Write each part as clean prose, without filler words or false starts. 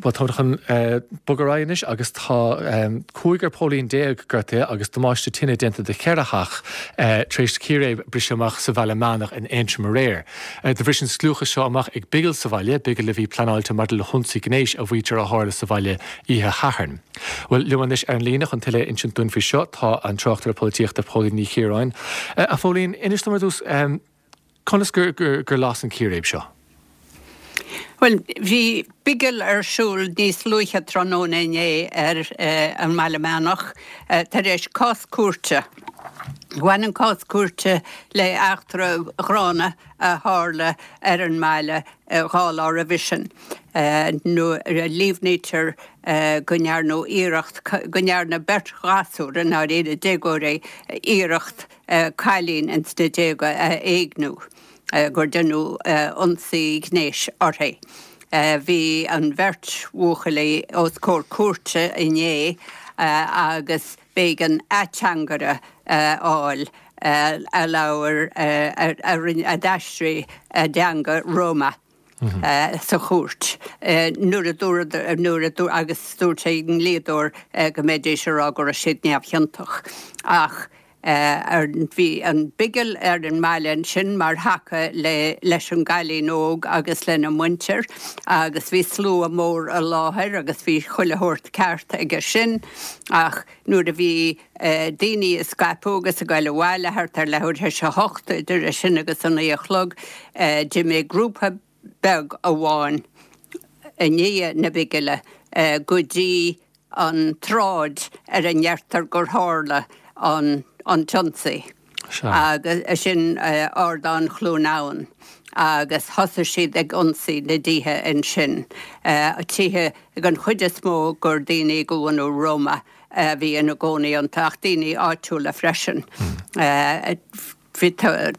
Bhuel, táimid chun bogadh ar aghaidh anois agus tá cúigear póilín gortaithe agus damáiste tine déanta do cheithre theach tar éis círéib briseadh amach sa Bhaile Meánach in Aontroim aréir. Do bhris an scliúchas seo amach ag bigil sa bhaile, bigil a bhí pleanáilte maidir le hionsaí gnéis a mhaítear a tharla sa bhaile oíche Shathairn. Bhuel, liom anois ar an líne chun tuilleadh a insint dúinn faoi seo tá an tráchtaire polaitíochta Póilín Ní Chiaráin. A Phóilín, inis dom ar dtús, Conas gur las an círéib seo? Bhuel, bhí bigil ar siúl níos luaithe tráthnóna inné ar an mBaile Meánach tar éis cás cúirte. Bhain an cás cúirte le eachtra ghránna a tharla ar an mbaile dhá lá roimhe sin nuair a líomhnaítear go ndearnadh iarracht, go ndearna beirt ghasúr, i ndáiríre déagóirí, iarracht cailín ins na déaga a éigniú, gur deineadh ionsaí gnéis uirthi. Bhí an bheirt bhuachaillí os comhair cúirte inné agus b'éigean ateangaire a fháil a labhair, a d'aistrigh a dteanga Roma. sa chúirt nuair a dúradh, nuair a dúirt, agus dúirt a ndlíodóir go mbeidís ag rá go raibh siad neamhchiontach. Ach bhí an bigil ar an mbaile ansin mar thaca le leis an gcailín óg agus lena muintir agus bhí slua mór i láthair agus bhí chuile shórt ceart aige sin ach nuair a bhí daoine ag scaipeadh agus ag goil abhaile thart ar leathuair théis a hocht, idir é sin agus a naoi a chlog, d'imigh grúpa beag amháin i ndiaidh na bigile go dtí an tsráid ar a ndeirtear gur tharla an t-ionsaí, agus sin Ardán Chluain Abhann, agus thosaigh siad ag ionsaí na dtithe ansin, tithe den chuid is mó gur daoine de bhunadh Roma a bhí ina gcónaí iontu, ach daoine áitiúla freisin. Bhí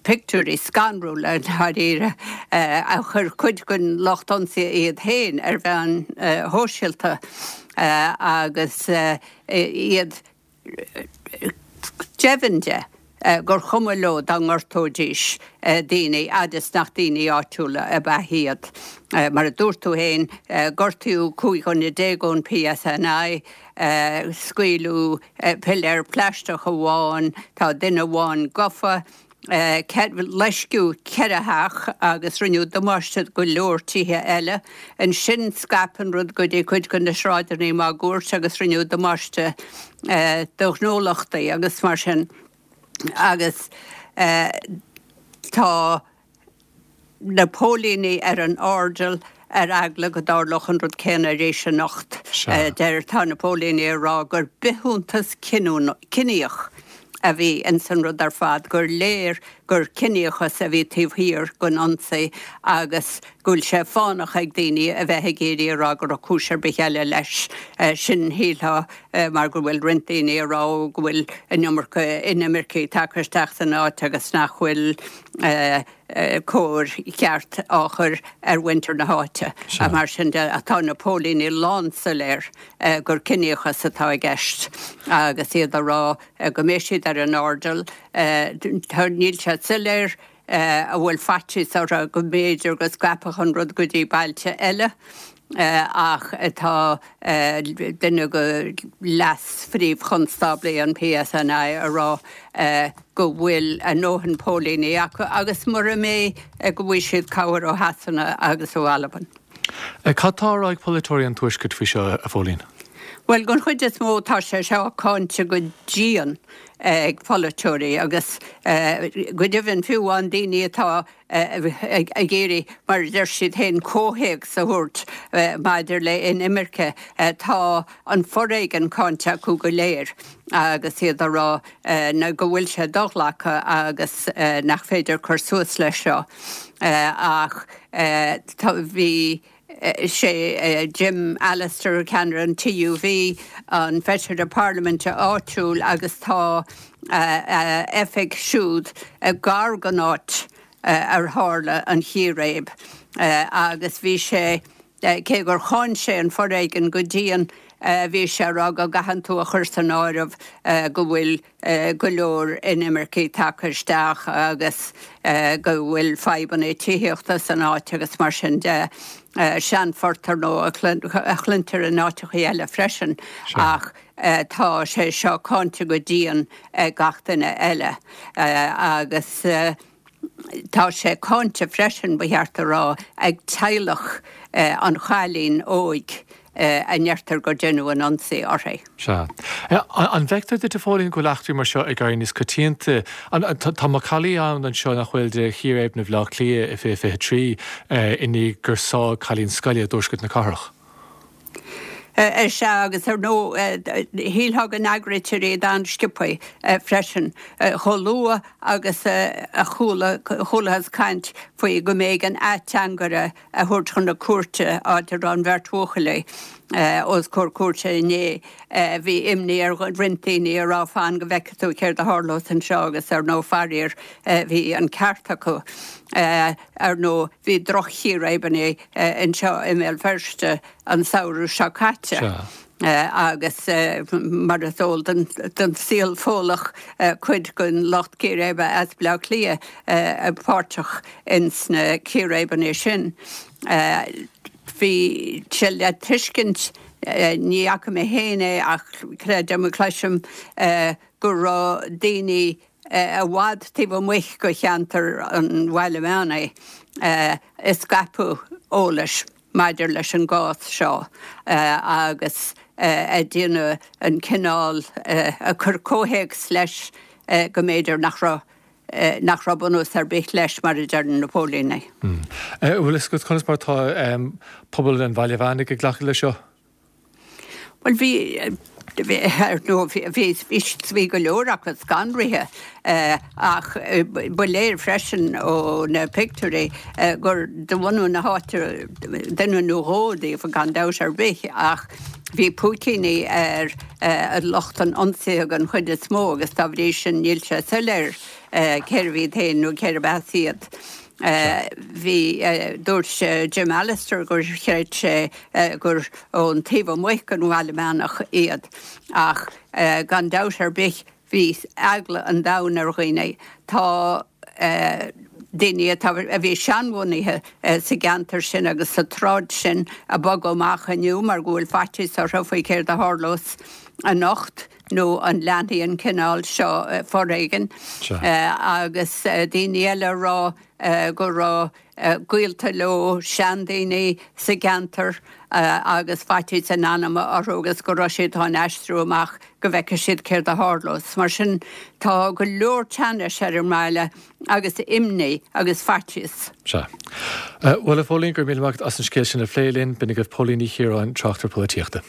pictiúirí scanrúla, i ndáiríre, a chuir cuid den lucht ionsaithe iad féin ar mheáin shóisialta agus iad deimhin de gur chuma leo dá ngortóidís daoine fhad is nach daoine áitiúla ab ea iad. Mar a dúirt tú féin, gortaíodh 15 dhuine ón PSNI, scaoileadh piléar plaisteach amháin, tá duine amháin gafa, loisceadh ceithre theach agus rinneadh damáiste do go leor tithe eile. Ansin scaip an rud go dtí cuid de na sráideanna máguaird agus rinneadh damáiste do ghnólachtaí agus mar sin agus tá na póilíní ar an airdeall ar eagla go dtarlódh an rud céanna arís anocht. Deir, tá na póilíní ag rá gur bithiúntas ciníoch a bhí ins an rud ar fad, gur léir gur ciníochas a bhí taobh thiar den ionsaí agus go bhfuil sé fánach ag daoine a bheith ag iarraidh a rá go raibh cúis ar bith eile leis sin, shílfeá, mar go bhfuil roinnt daoine ag rá go bhfuil an iomarca inimircigh tagtha isteach san áit agus nach bhfuil cóir cheart á chur ar mhuintir na háite. Mar sin de, tá na póilíní lánsoiléir gur ciníochas atá i gceist agus iad ag rá go mbeidh siad ar an airdeall. Níl sé soiléir an bhfuil faitíos orthu go mb'fhéidir go scaipfeadh an rud go dtí bailte eile ach tá duine de leas-phríomh-chonstáblaí an PSNI ag rá go bhfuil a ndóthain póilíní acu agus mura mbeidh go bhfaighidh siad cabhair ó Shasana agus ó Albain. Cad tá á rá ag polaiteoirí an Tuaiscirt faoi seo, a Phóilín? Bhuel, den chuid is mó tá sé seo cáinte go dian ag polaiteoirí agus go deimhin fiú amháin daoine atá ag iarraidh, mar a deir siad féin, comhthéacs a thabhairt maidir le inimirce. Tá an foréigean cáinte acu go léir agus iad ag rá go bhfuil sé do-ghlactha agus nach féidir cur suas leis seo. Ach bhí sé Jim Allister, ceannaire an TUV, an feisire parlaiminte áitiúil agus tá a oifig siúd gar don áit ar tharla an chíréib agus bhí sé. Cé gur cháin sé an foréigean go dian, bhí sé ag rá go gcaitheann tú a chur san áireamh go bhfuil go leor inimircigh tagtha isteach agus go bhfuil fadhbanna tithíochta san áit agus mar sin de. Seanphort ar ndóigh a chluintear in áiteachaí eile freisin ach tá sé seo cáinte go dian ag gach duine eile agus tá sé cáinte freisin, ba cheart a rá, ag teaghlach an chailín óig a ndeirtear gur deineadh an ionsaí uirthi. Sea. An bhfeictear duit, a Phóilín, go bhfuil eachtraí mar seo ag éirí níos coitianta? Tá macallaí ann anseo nach bhfuil de chíréibeanna Bhaile Átha Cliath i 2023 i ndiaidh gur sádh cailín scoile i dtuaisceart na cathrach. Sea, agus ar ndóigh, shílfeá go n-eagraítear iad an-sciobtha freisin. Chomh luath agus a chuala, chualathas caint faoi go mb'éigean ateangaire a thabhairt chun na cúirte, áit a raibh an bheirt bhuachaillí os comhair cúirte inné, bhí imní ar roinnt daoine a rá fan go bhfeicfidh tú céard a tharlós anseo agus ar ndóigh, faraor, bhí an ceart acu. Ar ndóigh, bhí droch-chíréibeanna anseo i mBéal Feirste an samhradh seo caite agus mar is eol don saol Fódhlach cuid den lucht círéibe as Baile Átha Cliath páirteach ins na círéibeanna sin. Bhí sé le tuiscint, ní fhaca mé féin é ach creidim a cloisim, go raibh daoine i bhfad taobh amuigh de cheantar an Bhaile Mheánaigh ag scaipeadh eolais maidir leis an gcás seo agus ag déanamh an cineál, ag cur comhthéacs leis go mb'fhéidir nach raibh nach raibh bunús ar bith leis, mar a deireann na póilíní. An bhfuil fhios agat conas mar atá pobal an Bhaile Mheánaigh ag glacadh leis seo? Bhuel, bhí, ar ndóigh, bhí, bhí go leor acu scanraithe ach ba léir freisin ó na pictiúirí gur de bhunadh na háite duine nó dhó díobh, gan dabht ar bith, ach bhí púicíní ar lucht an ionsaithe den chuid is mó agus dá bhrí sin níl sé soiléir cérbh iad féin nó cérb as iad. Bhí, dúirt Jim Allister gur chreid sé gur ón taobh amuigh den Bhaile Meánach iad ach gan dabht ar bith bhí eagla an domhain ar dhaoine. Tá daoine atá, a bhí seanbhunaithe sa gceantar sin agus sa tsráid sin ag bogadh amach inniu mar go bhfuil faitíos orthu faoi céard a tharlós anocht. nó an leanfaidh an cineál seo foréigin agus daoine eile ag rá go raibh gaolta leo, seandaoine sa gceantar agus faitíos a n-anama orthu agus go raibh siad chun aistriú amach go bhfeicfidh siad céard a tharlós. Mar sin tá go leor teannais ar an mbaile agus imní agus faitíos. Sea. Bhuel, a Phóilín, go raibh míle maith agat as an scéal sin a phlé linn. B'in agaibh Póilín Ní Chiaráin, tráchtaire polaitíochta.